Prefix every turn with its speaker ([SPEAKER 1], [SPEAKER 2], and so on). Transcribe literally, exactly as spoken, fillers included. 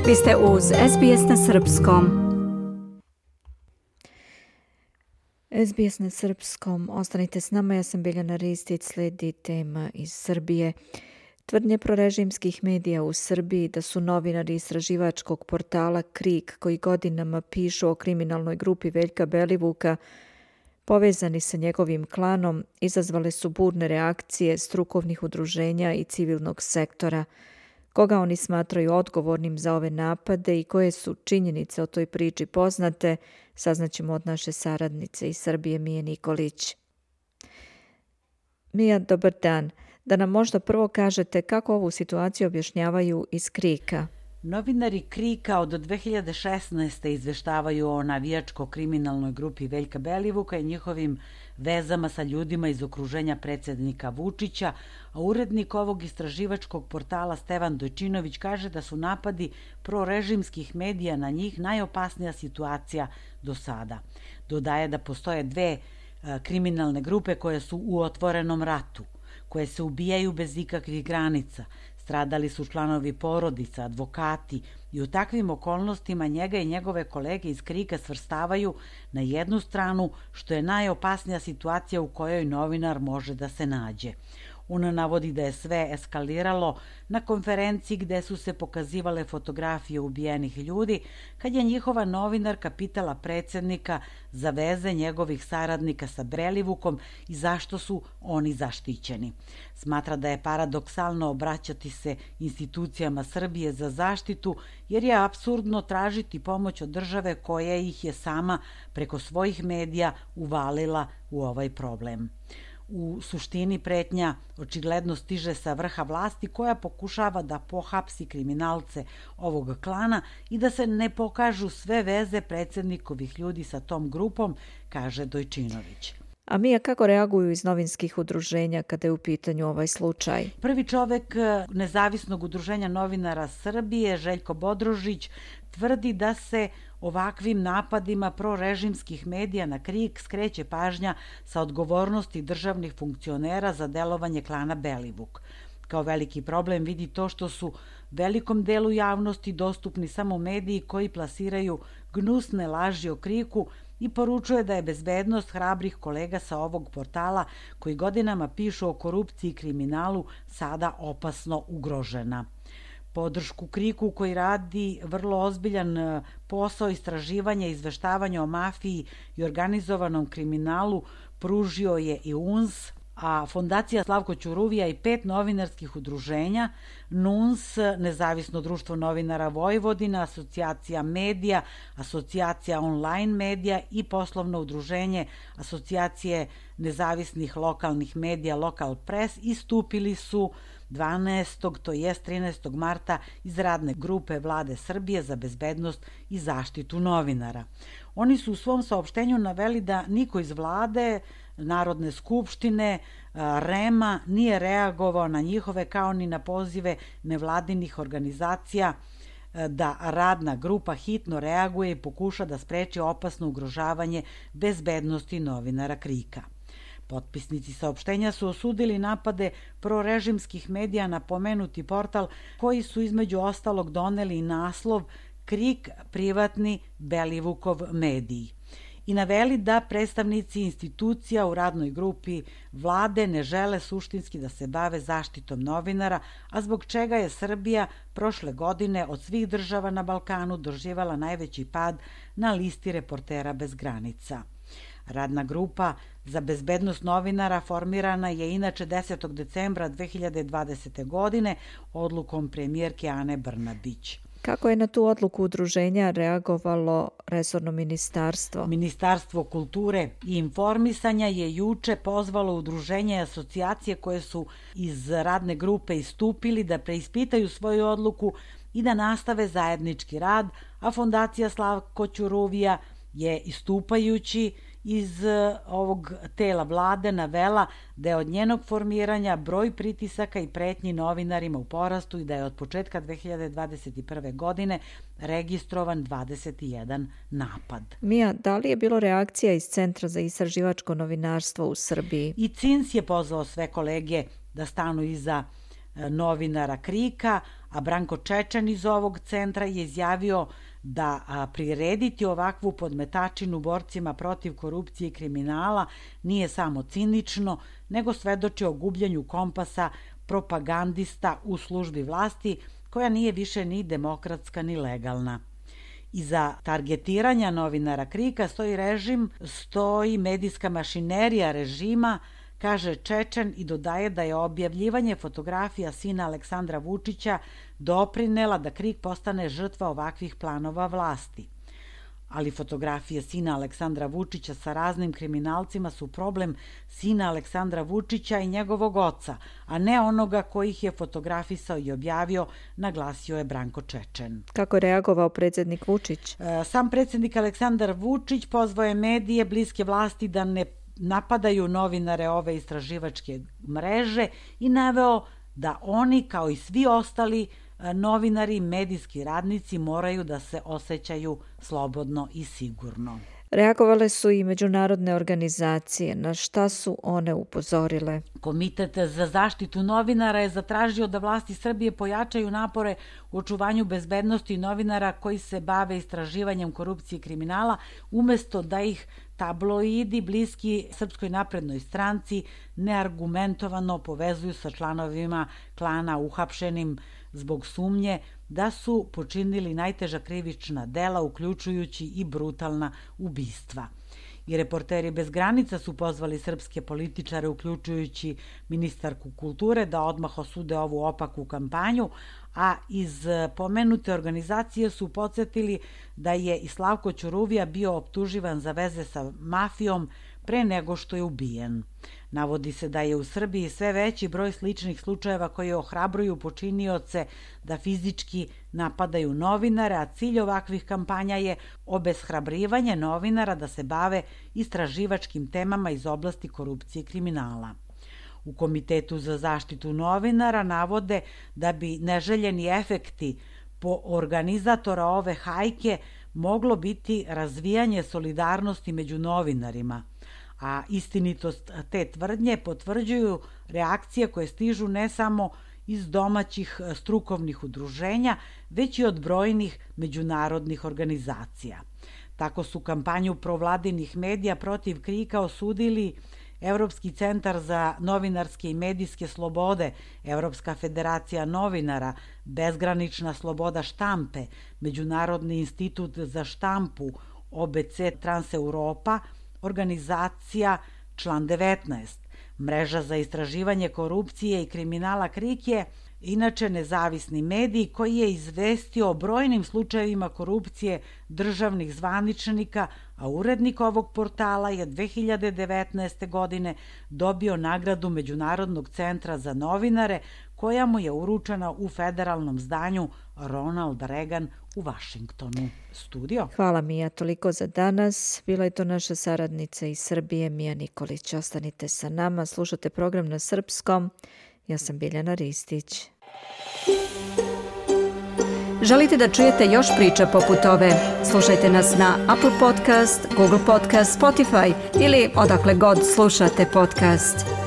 [SPEAKER 1] Vi ste uz S B S na srpskom. S B S na srpskom. Ostanite s nama, ja sam Biljana Ristić, slijedi tema iz Srbije. Tvrdnje prorežimskih medija u Srbiji da su novinari istraživačkog portala Krik, koji godinama pišu o kriminalnoj grupi Veljka Belivuka, povezani sa njegovim klanom, izazvale su burne reakcije strukovnih udruženja i civilnog sektora. Koga oni smatraju odgovornim za ove napade i koje su činjenice o toj priči poznate, saznaćemo od naše saradnice iz Srbije, Mije Nikolić. Mija, dobar dan. Da nam možda prvo kažete kako ovu situaciju objašnjavaju iz Krika.
[SPEAKER 2] Novinari Krika od dve hiljade šesnaeste. izveštavaju o navijačko-kriminalnoj grupi Veljka Belivuka i njihovim vezama sa ljudima iz okruženja predsjednika Vučića, a urednik ovog istraživačkog portala Stevan Dojčinović kaže da su napadi prorežimskih medija na njih najopasnija situacija do sada. Dodaje da postoje dve a, kriminalne grupe koje su u otvorenom ratu, koje se ubijaju bez ikakvih granica. Stradali su članovi porodica, advokati i u takvim okolnostima njega i njegove kolege iz Krika svrstavaju na jednu stranu, što je najopasnija situacija u kojoj novinar može da se nađe. On navodi da je sve eskaliralo na konferenciji gde su se pokazivale fotografije ubijenih ljudi, kad je njihova novinarka pitala predsjednika za veze njegovih saradnika sa Belivukom i zašto su oni zaštićeni. Smatra da je paradoksalno obraćati se institucijama Srbije za zaštitu, jer je apsurdno tražiti pomoć od države koja ih je sama preko svojih medija uvalila u ovaj problem. U suštini pretnja očigledno stiže sa vrha vlasti koja pokušava da pohapsi kriminalce ovog klana i da se ne pokažu sve veze predsjednikovih ljudi sa tom grupom, kaže Dojčinović.
[SPEAKER 1] A Mija, kako reaguju iz novinskih udruženja kada je u pitanju ovaj slučaj?
[SPEAKER 2] Prvi čovek Nezavisnog udruženja novinara Srbije, Željko Bodrožić, tvrdi da se ovakvim napadima prorežimskih medija na Krik skreće pažnja sa odgovornosti državnih funkcionera za delovanje klana Belivuk. Kao veliki problem vidi to što su velikom delu javnosti dostupni samo mediji koji plasiraju gnusne laži o Kriku i poručuje da je bezbednost hrabrih kolega sa ovog portala koji godinama pišu o korupciji i kriminalu sada opasno ugrožena. Podršku Kriku, koji radi vrlo ozbiljan posao istraživanja i izveštavanja o mafiji i organizovanom kriminalu, pružio je i U N S, a Fondacija Slavko Ćuruvija i pet novinarskih udruženja, N U N S, Nezavisno društvo novinara Vojvodina, Asocijacija medija, Asocijacija online medija i poslovno udruženje Asocijacije nezavisnih lokalnih medija Lokal Press istupili su dvanaestog to jest trinaestog marta iz radne grupe Vlade Srbije za bezbednost i zaštitu novinara. Oni su u svom saopštenju naveli da niko iz Vlade, Narodne skupštine, REM-a nije reagovao na njihove kao ni na pozive nevladinih organizacija da radna grupa hitno reaguje i pokuša da spreči opasno ugrožavanje bezbednosti novinara Krika. Potpisnici saopštenja su osudili napade prorežimskih medija na pomenuti portal, koji su između ostalog doneli i naslov Krik privatni Belivukov mediji i naveli da predstavnici institucija u radnoj grupi Vlade ne žele suštinski da se bave zaštitom novinara, a zbog čega je Srbija prošle godine od svih država na Balkanu doživala najveći pad na listi Reportera bez granica. Radna grupa za bezbednost novinara formirana je inače desetog decembra dve hiljade dvadesete. godine odlukom premijerke Ane Brnabić.
[SPEAKER 1] Kako je na tu odluku udruženja reagovalo resorno ministarstvo?
[SPEAKER 2] Ministarstvo kulture i informisanja je juče pozvalo udruženja i asocijacije koje su iz radne grupe istupili da preispitaju svoju odluku i da nastave zajednički rad, a Fondacija Slavko Ćuruvija je istupajući iz ovog tela vlade navela da je od njenog formiranja broj pritisaka i pretnji novinarima u porastu i da je od početka dve hiljade dvadeset prve. godine registrovan dvadeset jedan napad.
[SPEAKER 1] Mija, da li je bilo reakcija iz Centra za istraživačko novinarstvo u Srbiji?
[SPEAKER 2] I C I N S je pozvao sve kolege da stanu iza novinara Krika, a Branko Čečen iz ovog centra je izjavio da a, prirediti ovakvu podmetačinu borcima protiv korupcije i kriminala nije samo cinično, nego svedoči o gubljenju kompasa propagandista u službi vlasti, koja nije više ni demokratska ni legalna. Iza targetiranja novinara KRIK-a stoji režim, stoji medijska mašinerija režima, kaže Čečen i dodaje da je objavljivanje fotografija sina Aleksandra Vučića doprinela da KRIK postane žrtva ovakvih planova vlasti. Ali fotografije sina Aleksandra Vučića sa raznim kriminalcima su problem sina Aleksandra Vučića i njegovog oca, a ne onoga koji ih je fotografisao i objavio, naglasio je Branko Čečen.
[SPEAKER 1] Kako je reagovao predsjednik Vučić?
[SPEAKER 2] Sam predsjednik Aleksandar Vučić pozvao je medije bliske vlasti da ne napadaju novinare ove istraživačke mreže i naveo da oni, kao i svi ostali novinari i medijski radnici, moraju da se osjećaju slobodno i sigurno.
[SPEAKER 1] Reagovale su i međunarodne organizacije. Na šta su one upozorile?
[SPEAKER 2] Komitet za zaštitu novinara je zatražio da vlasti Srbije pojačaju napore u očuvanju bezbednosti novinara koji se bave istraživanjem korupcije i kriminala, umesto da ih tabloidi bliski Srpskoj naprednoj stranci neargumentovano povezuju sa članovima klana uhapšenim zbog sumnje da su počinili najteža krivična dela, uključujući i brutalna ubistva. I Reporteri bez granica su pozvali srpske političare, uključujući ministarku kulture, da odmah osude ovu opaku kampanju, a iz pomenute organizacije su podsjetili da je i Slavko Ćuruvija bio optuživan za veze sa mafijom pre nego što je ubijen. Navodi se da je u Srbiji sve veći broj sličnih slučajeva koji ohrabruju počinioce da fizički napadaju novinare, a cilj ovakvih kampanja je obeshrabrivanje novinara da se bave istraživačkim temama iz oblasti korupcije i kriminala. U Komitetu za zaštitu novinara navode da bi neželjeni efekti po organizatora ove hajke moglo biti razvijanje solidarnosti među novinarima, a istinitost te tvrdnje potvrđuju reakcije koje stižu ne samo iz domaćih strukovnih udruženja, već i od brojnih međunarodnih organizacija. Tako su kampanju provladinih medija protiv KRIK-a osudili Evropski centar za novinarske i medijske slobode, Evropska federacija novinara, Bezgranična sloboda štampe, Međunarodni institut za štampu, O B C Transeuropa, organizacija Član devetnaest. Mreža za istraživanje korupcije i kriminala KRIK je inače nezavisni medij koji je izvestio o brojnim slučajevima korupcije državnih zvaničnika, a urednik ovog portala je dve hiljade devetnaeste. godine dobio nagradu Međunarodnog centra za novinare, koja mu je uručena u federalnom zdanju Ronald Reagan u Vašingtonu. Studio.
[SPEAKER 1] Hvala Mija, toliko za danas. Bila je to naša saradnica iz Srbije, Mija Nikolić. Ostanite sa nama, slušate program na srpskom. Ja sam Biljana Ristić.
[SPEAKER 3] Želite da čujete još priča poput ove? Slušajte nas na Apple Podcast, Google Podcast, Spotify ili odakle god slušate podcast.